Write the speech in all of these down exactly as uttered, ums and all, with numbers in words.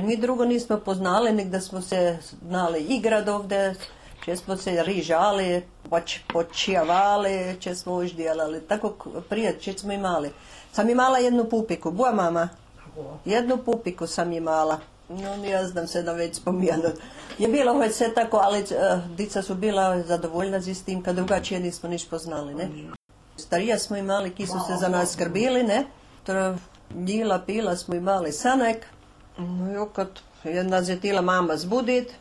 mi drugo nismo poznali, nek da smo se znali igrat ovdje, če smo se rižali, poč, počijavali, če smo už djelali. Tako prije, če smo imali. Sam imala jednu pupiku, boja mama. Jednu pupiku sam imala. No, ne znam se da već spominjati. Je bilo hoć sve tako, ali uh, dica su bila zadovoljna z tim, kad drugačije nismo niš poznali, ne. Starija smo imali, ki su se za nas skrbili, ne. Njila, pila smo imali sanek. No, kad nas je tila mama zbudit,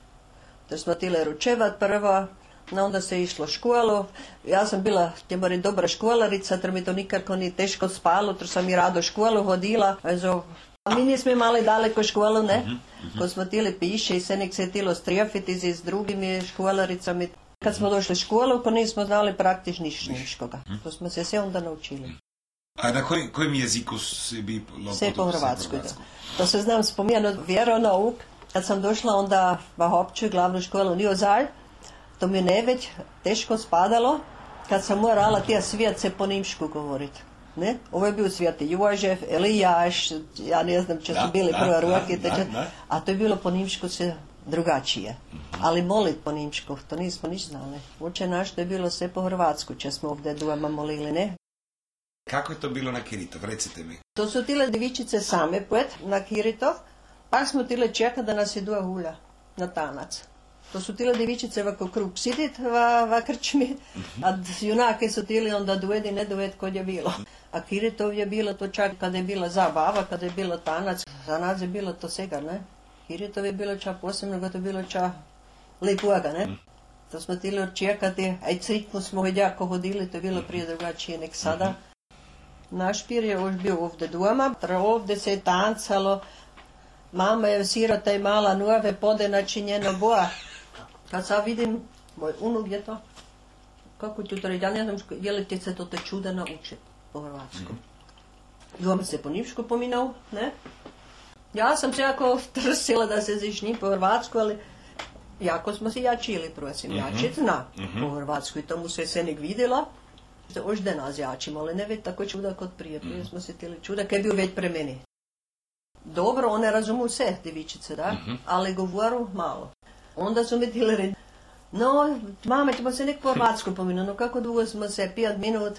da smo tile ručevat prvo, no onda se išlo školu. Ja sam bila, te mori, dobra školarica, ter mi to nikako ni teško spalo, ter sam i rado školu hodila. Also, a mi nismo imali daleko školu, ne? Uh-huh, uh-huh. Ko smo tili piše i se nek se tilo strijafiti s drugimi školaricami. Kad smo došli u školu, ko nismo znali praktično niškoga. Uh-huh. To smo se sve onda naučili. A na koj, kojem jeziku si bi... Sve po hrvatskoj, da. To se znam spominjano vjeronauk. Kad sam došla onda v opću glavnu školu Niozalj, to mi ne već teško spadalo, kad sam morala tija svijet se po nimšku govoriti. Ne? Ovo je bio Svijati Jožef, Elijaš, ja ne znam če su bili prve ruke, a to je bilo po nimšku se drugačije. Ali molit po nimšku, to nismo niš znali. Uče naš, to je bilo sve po hrvatsku, če smo ovdje doma molili, ne? Kako je to bilo na Kiritov, recite mi? To su tile devičice same poet na Kiritov, pa smo tile čeka da nas idu hulja na tanac. To su tile devičice ovako krug sidit va, va krčmi, a junake su tili onda duved i ne duved kod je bilo. A Kiritov je bilo to čak kada je bila zabava, kada je bilo tanac, za nas je bilo to svega, ne? Kiritov je bilo čak posebno, kada je bilo čak lepuaga, ne? To smo tili očekati, a i crikmu smo jako hodili, to je bilo prije drugačije nek sada. Naš pir je još bio ovdje doma, ovdje se je tancalo, mama je sirota i mala nove pode načinjeno boja. Kad sad vidim, moj unuk je to, kako ću to reći, ja ne znam, je li ti se to te čuda nauči po hrvatskom. I on se po nimšku pominao, ne? Ja sam se jako trsila da se zišni po hrvatsku, ali jako smo se jačili, prosim, jačit zna po hrvatsku i tomu se se nek vidjela. Ožde nas jačimo, ali ne već tako čuda kod prije, prije smo se tili čuda, kaj je bio već pre meni. Dobro, one razumu sve, devičice, da, uh-huh. ali govoru malo. Onda su mi tili reći, no, mama, ćemo se nek po hrvatsku pominu, no kako dugo smo se, pijat minut,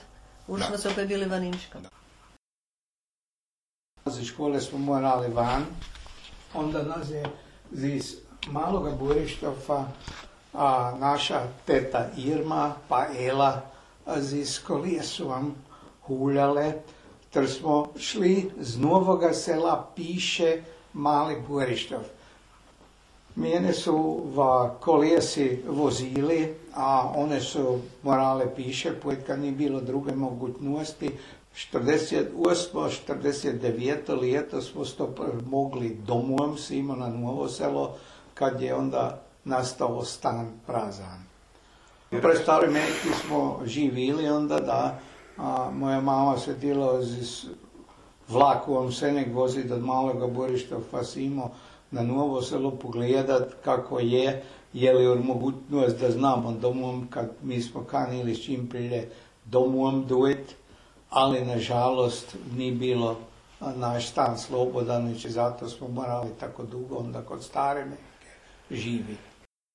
už smo se opet bili vanimška. Iz škole smo morali van, onda nas je iz maloga Burištova a naša teta Irma pa Ela iz kolije su vam huljale, ter smo šli z novoga sela Piše Mali Burištov. Mene su v kolijesi vozili, a one su morale piše, pojet kad nije bilo druge mogućnosti. štirideset osmo štirideset deveto leto smo to mogli domom simo na novo selo, kad je onda nastao stan prazan. Pre stari meki smo živili onda da, a moja mama se tila z vlakom se nek voziti od Maloga Burištova simo na novo selo pogledat kako je, je li mogućnost da znamo domom, kad mi smo kanili s čim prije domom duet, ali nažalost nije bilo naš stan slobodan, i zato smo morali tako dugo onda kod stare neke živi.